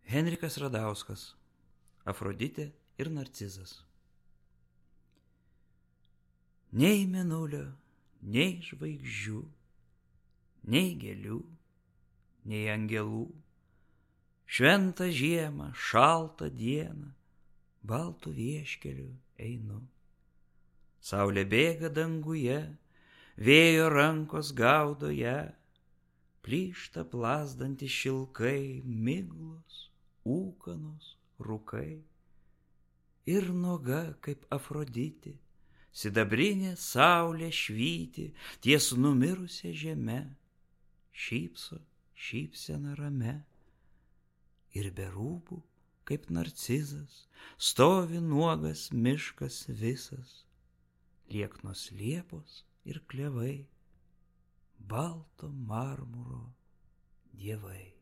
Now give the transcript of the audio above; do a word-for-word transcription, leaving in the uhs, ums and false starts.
Henrikas Radauskas. Afroditė ir Narcizas. Nei mėnulio, nei žvaigždžių, nei gėlių, nei angelų, šventą žiemą, šaltą dieną, baltų vieškeliu einu. Saulė bėga danguje, vėjo rankos gaudo ją, plyšta plazdantys šilkai, miglos, ūkanos, rūkai. Ir nuoga kaip Afroditė, sidabrinė saulė švyti ties numirusia žeme, šypso šypsena rame. Ir be rūbų kaip Narcizas stovi nuogas miškas visas, lieknos liepos ir klevai, balto marmuro dievai.